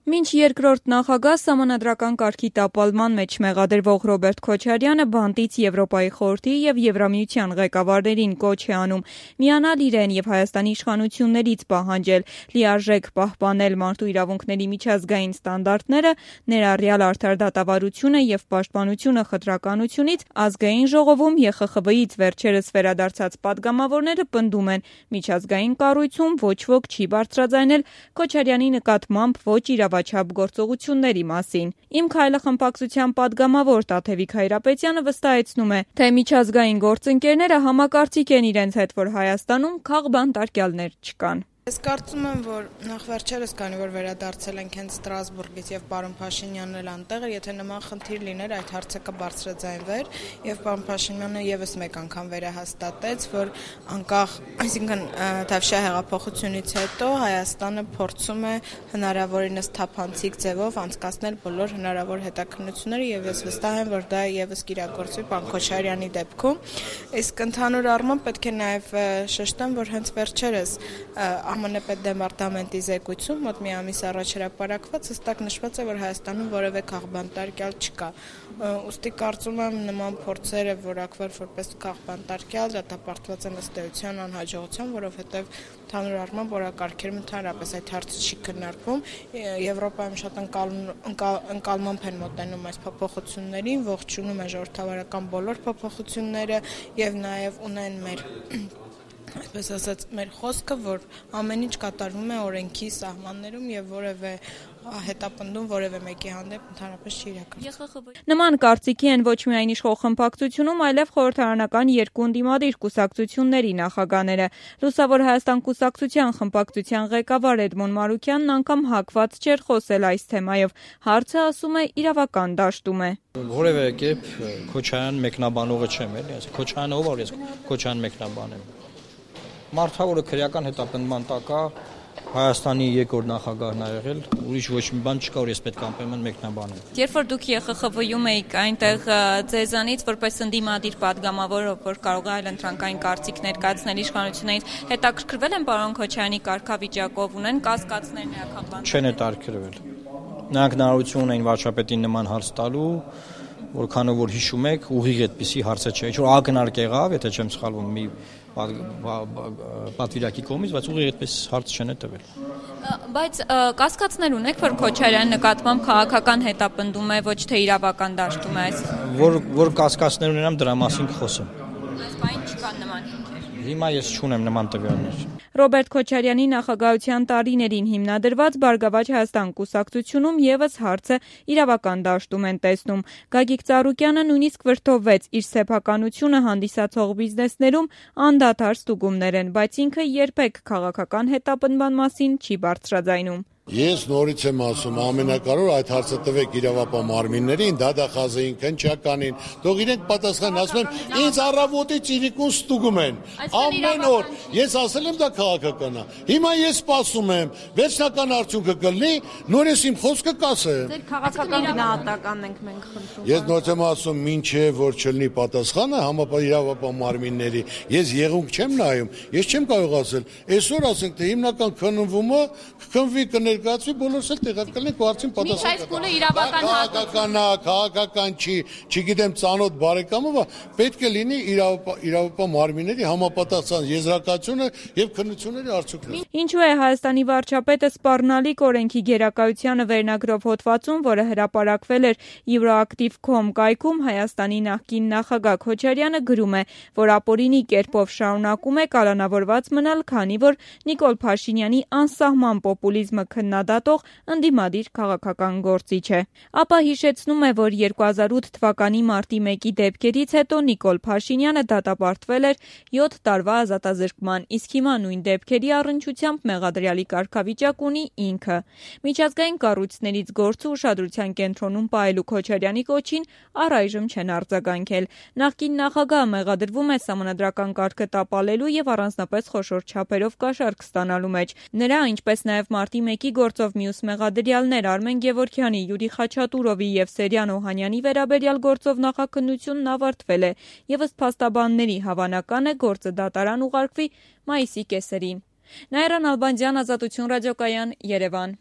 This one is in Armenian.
Մինչ երկրորդ նախագահ սահմանադրական կարգի տապալման մեջ մեղադրվող Ռոբերտ Քոչարյանը բանտից Եվրոպայի խորհրդի եւ Եվրամիության ղեկավարներին կոչ է անում միանալ իրեն եւ Հայաստանի իշխանություններից պահանջել լիարժեք պահպանել մարդու իրավունքների միջազգային ստանդարտները, ներառյալ արդար դատավարությունը եւ պաշտպանությունը խտրականությունից, Ազգային ժողովում ԵԽԽՎ-ից վերջերս վերադարձած պատգամավորները պնդում են միջազգային կառույցում ոչ ոք չի բարձրաձայնել Քոչարյանի նկատմամբ ոչ իրավաչափ գործողությունների մասին։ Իմ քայլը խմբակցության պատգամավոր Տաթևիկ Հայրապետյանը վստահեցնում է, թե միջազգային գործընկերները համակարծիք են իրենց հետ, որ Հայաստանում քաղբանտարկյալներ չկան։ Ես կարծում եմ, որ նախ վերջերս, քանի որ վերադարձել ենք հենց Ստրասբուրգից եւ պարոն Փաշինյանն էլ անտեղ է, եթե նման խնդիր լիներ, այդ հարցը կբարձրաձայնվեր եւ պարոն Փաշինյանը եւս մեկ անգամ վերահաստատեց, որ անկախ, այսինքն Թավշյա հեղափոխությունից հետո Հայաստանը փորձում է հնարավորինս թափանցիկ ձևով անցկացնել բոլոր հնարավոր հետաքննությունները եւ ես վստահ եմ, որ դա եւս կիրագործվի պարոն Քոչարյանի դեպքում։ Իսկ ընդհանուր առմամբ պետք է նաեւ շեշտեմ, որ հենց վերջերս ԱՄՆ պետդեպարտամենտի զեկույցում մոտ մի ամիս առաջ հրապարակված հստակ նշված է, որ Հայաստանում որևէ քաղբանտարկյալ չկա։ Ուստի կարծում եմ նման փորձերը որակվել որպես քաղբանտարկյալ դատապարտված են ըստ էության անհաջողության, որովհետև ընդհանուր առմամբ օրակարգերում ընդհանրապես այդ հարցը չի քննարկվում։ Եվրոպայում շատ ընկալմամբ են մոտենում այս փոփոխություններին, ողջունում են ժողովրդավարական բոլոր փոփոխությունները եւ նաեւ ունեն մեր այսպես ասած մեր խոսքը, որ ամեն ինչ կատարվում է օրենքի սահմաններում եւ որևէ հետապնդում որևէ մեկի հանդեպ ընդհանրապես չի իրականացվում։ Նման կարծիքի են ոչ միայն իշխող խմբակցությունում, այլև խորհրդարանական երկու ընդդիմադիր կուսակցությունների նախագահները։ Լուսավոր Հայաստան կուսակցության խմբակցության ղեկավար Էդմոն Մարուկյանն անգամ հակված չէր խոսել այս թեմայով։ Հարցը, ասում է, իրավական դաշտում է։ Որևէ կերպ Քոչարյան մեկնաբանողը չեմ, էլի, այսինքն Քոչարյանը ով է, ես Քոչարյան մեկնաբանեմ։ Մարդավորը քրեական հետապնդման տակ է, Հայաստանի երկրորդ նախագահն ա եղել, ուրիշ ոչ մի բան չկա, որ ես պետք է անպայման մեկնաբանեմ։ Երբ որ դուք ԵԽԽՎ-ում էիք, այնտեղ ձեզանից որպես ընդդիմադիր պատգամավոր, որ կարող է այլընտրանքային կարծիք ներկայացնել իշխանություններից, հետաքրքրվել են պարոն Քոչարյանի կարգավիճակով, ունեն կասկածներ նրա քաղբանտարկման։ Չեն հետաքրքրվել։ Նրանք հնարավորություն ունեն վարչապետին նման հարց տալու, որքանով որ հիշում եք, ուղիղ այդպիսի հարցը չէ, ինչ որ ակնարկ եղավ, եթե չեմ սխալվում, մի պատվիրակի կողմից, բայց ուղիղ այդպես հարց չեն տվել։ Բայց կասկածներ ունեք, որ Քոչարյանի նկատմամբ քաղաքական հետապնդում է, ոչ թե իրավական դաշտում է այս։ Որ կասկածներ ունենամ, դրա մասին կխոսեմ։ Այս բան չկան նման հիմքեր։ Հիմա ես չունեմ նման տվյալներ։ Ռոբերտ Քոչարյանի նախագահության տարիներին հիմնադրված Բարգավաճ Հայաստան կուսակցությունում եւս հարցը իրավական դաշտում են տեսնում։ Գագիկ Ծառուկյանը նույնիսկ վրդովվեց իր սեփականությունը հանդիսացող բիզնեսներում անդադար ստուգումներ են, բայց ինքը երբեք քաղաքական հետապնդման մասին չի բարձրաձայնում։ Ես նորից եմ ասում, ամենակարևորը այդ հարցը տվեք իրավապահ մարմիններին, դատախազային, քննչականին, թող իրենք պատասխան, ասում են, ինձ առավոտից իրիկուն ստուգում են, ամեն օր, ես ասել եմ դա քաղաքական է, հիմա ես սպասում եմ, վերջնական արդյունքը կլինի, նորից իմ խոսքը կասեմ։ Ձեր քաղաքական գնահատականն ենք մենք խնդրում։ Ես նորից եմ ասում, մինչև որ չլինի պատասխանը համապատասխան իրավապահ մարմինների, ես եղունք չեմ նայում, ես չեմ կարող ասել, այսօր ասենք թե հիմնական քննվումը կքննվի կներկայացվի բոլորս էլ տեղակ կլինենք ու արդեն պատասխան։ Քաղաքական չի, չգիտեմ ծանոթ բարեկամը, պետք է լինի իրավապահ մարմինների համապատասխան եզրակացությունը եւ քննությունների արդյունքները։ Ինչու է Հայաստանի վարչապետը սպառնալիք օրենքի գերակայությանը վերնագրով հոդվածում, որը հրապարակվել էր Euroactiv.com կայքում, Հայաստանի նախկին նախագահ Քոչարյանը գրում է, որ ապօրինի կերպով շարունակում է կալանավորված մնալ, քանի որ Նիկոլ Փաշինյանի անսահման պոպուլիզմը քննադատող ընդդիմադիր քաղաքական գործիչ է։ Ապա հիշեցնում է, որ 2008 թվականի մարտի 1-ի դեպքերից հետո Նիկոլ Փաշինյանը դատապարտվել էր 7 տարվա ազատազրկման, իսկ հիմա նույն դեպքերի առնչությամբ մեղադրյալի կարգավիճակ ունի ինքը։ Միջազգային կառույցներից գործը ուշադրության կենտրոնում պահելու Քոչարյանի կոչին առայժմ չեն արձագանքել։ Նախկին նախագահը մեղադրվում է սահմանադրական կարգը տապալելու եւ առանձնապես խոշոր չափերով կաշառք ստանալու մեջ։ Նրա, ինչպես նաեւ մարտի 1-ի գործով մյուս մեղադրյալներ Արմեն Գևորգյանի, Յուրի Խաչատուրովի եւ Սերյան Օհանյանի վերաբերյալ գործով նախաքննությունն ավարտվել է եւ ըստ փաստաբանների հավանական է գործը դատարան ուղարկվի մայիսի կեսերին։ Նաիրա Նալբանդյան, Ազատություն ռադիոկայան, Երևան։